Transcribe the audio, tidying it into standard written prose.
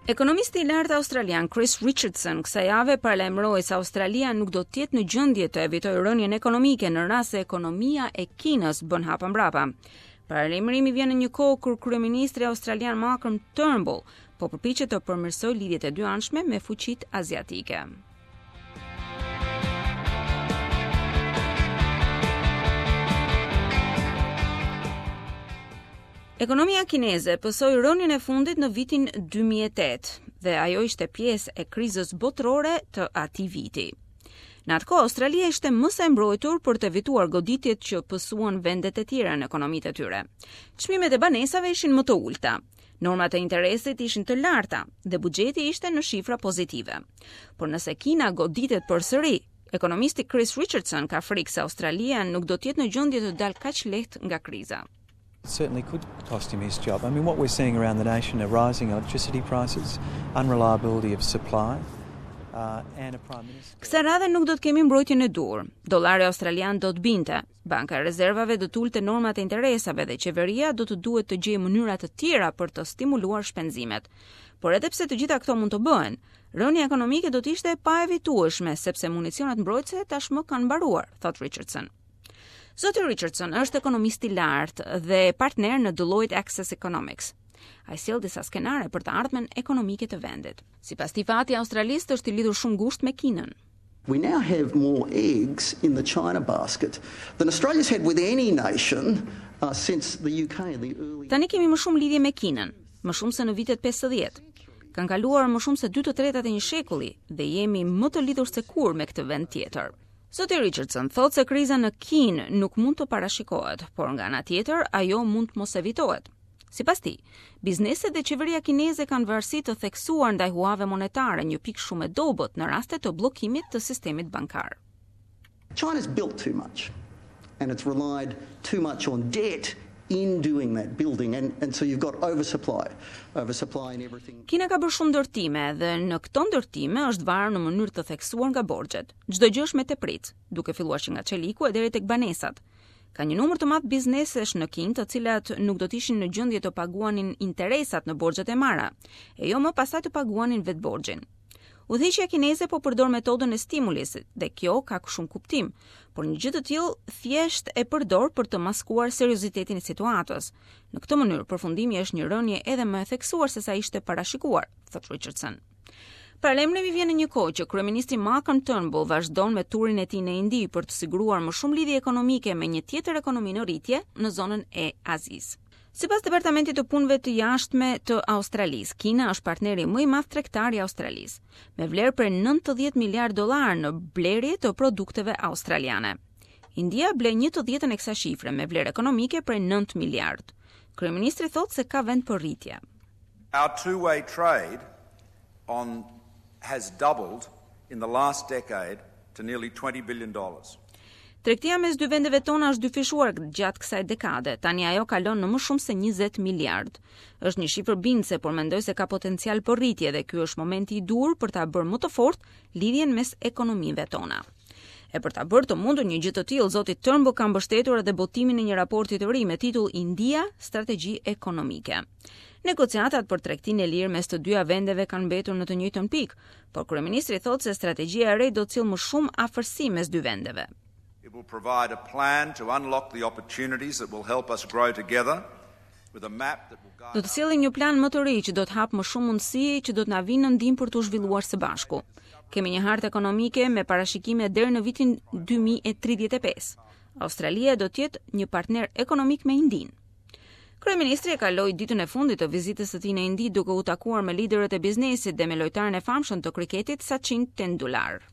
Ekonomisti i lartë australian Chris Richardson kësaj jave paralajmëroi se Australia nuk do të jetë në gjendje të evitojë rënien ekonomike në rast se ekonomia e Kinës bën hapa mbrapa. Paralajmërimi vjen në një kohë kur kryeministri australian Malcolm Turnbull po përpiqet të përmirësojë lidhjet e dyanshme me fuqitë aziatike. Ekonomia kineze pësoi rënien e fundit në vitin 2008 dhe ajo ishte pjesë e krizës botërore të atij viti. Në atë kohë, Australia ishte më se e mbrojtur për të evituar goditjet që pësuan vendet e tjera në ekonomitë e tyre. Çmimet e banesave ishin më të ulëta. Normat e interesit ishin të larta dhe buxheti ishte në shifra pozitive. Por nëse Kina goditet përsëri, ekonomisti Chris Richardson ka frikë se Australia nuk do të jetë në gjendje të dalë kaq lehtë nga kriza. certainly could cost him his job. I mean, what we're seeing around the nation are rising electricity prices, unreliability of supply, uh, and a prime minister. Kësaj radhe nuk do të kemi mbrojtjen e duhur. Dollari australian do të binte. Banka e Rezervave do të ulte normat e interesave dhe qeveria do të duhet të gjejë mënyra të tjera për të stimuluar shpenzimet. Por edhe pse të gjitha këto mund të bëhen, rënia ekonomike do të ishte e paevitueshme sepse municionet mbrojtëse tashmë kanë mbaruar, thotë Richardson. Zoti Richardson është ekonomist i lartë dhe partner në Deloitte Access Economics. Ai sjell disa skenare për të ardhmen ekonomike të vendit. Sipas tij, fati i Australisë është i lidhur shumë ngushtë me Kinën. We now have more eggs in the China basket than Australia's had with any nation uh, since the UK in the early Tani kemi më shumë lidhje me Kinën, më shumë se në vitet 50. Kanë kaluar më shumë se 2/3 e një shekulli dhe jemi më të lidhur se kurrë me këtë vend tjetër. Zoti Richardson thotë se kriza në Kinë nuk mund të parashikohet, por nga ana tjetër ajo mund të mos evitohet. Sipas tij, bizneset dhe qeveria kineze kanë varësi të theksuar ndaj huave monetare, një pikë shumë e dobët në raste të bllokimit të sistemit bankar. China's built too much and it's relied too much on debt in doing that building and and so you've got oversupply oversupply in everything. Kina ka bërë shumë ndërtime dhe në këto ndërtime është varur në mënyrë të theksuar nga borxhet. Çdo gjë është me tepricë, duke filluar që nga çeliku e deri tek banesat. Ka një numër të madh biznesesh në Kinë të cilat nuk do të ishin në gjendje të paguanin interesat në borxhet e marra, e jo më pastaj të paguanin vetë borxhin. Udhëheqja kineze po përdor metodën e stimulisit dhe kjo ka shumë kuptim, por një gjë të tillë thjesht e përdor për të maskuar seriozitetin e situatës. Në këtë mënyrë, përfundimi është një rënie edhe më e theksuar se sa ishte parashikuar, thotë Richardson. Paralajmërimi vjen në një kohë që kryeministri Malcolm Turnbull vazhdon me turin e tij në Indi për të siguruar më shumë lidhje ekonomike me një tjetër ekonomi në rritje në zonën e Azisë. Sipas Departamentit të Punëve të Jashtme të Australisë, Kina është partneri më i madh tregtar i Australisë, me vlerë prej 90 miliard dollar në blerje të produkteve australiane. India ble 1/10 e kësaj shifre me vlerë ekonomike prej 9 miliard. Kryeministri thotë se ka vend për rritje. Our two-way trade on has doubled in the last decade to nearly 20 billion dollars. Tregtia mes dy vendeve tona është dyfishuar gjatë kësaj dekade. Tani ajo kalon në më shumë se 20 miliard. Është një shifër bindëse, por mendoj se ka potencial për rritje dhe ky është momenti i duhur për ta bërë më të fortë lidhjen mes ekonomive tona. E për ta bërë të mundur një gjë të tillë, zoti Turnbull ka mbështetur edhe botimin e një raporti të ri me titull India, strategji ekonomike. Negociatat për tregtinë e lirë mes të dyja vendeve kanë mbetur në të njëjtën pikë, por kryeministri thotë se strategjia e re do të sjellë më shumë afërsi mes dy vendeve. It will provide a plan to unlock the opportunities that will help us grow together with a map that will guide Do të sjellim një plan më të ri që do të hapë më shumë mundësi që do të na vinë në ndihmë për t'u zhvilluar së bashku. Kemi një hartë ekonomike me parashikime deri në vitin 2035. Australia do të jetë një partner ekonomik me Indinë. Kryeministri e kaloi ditën e fundit të vizitës së tij në Indi duke u takuar me liderët e biznesit dhe me lojtarin e famshëm të kriketit Sachin Tendulkar.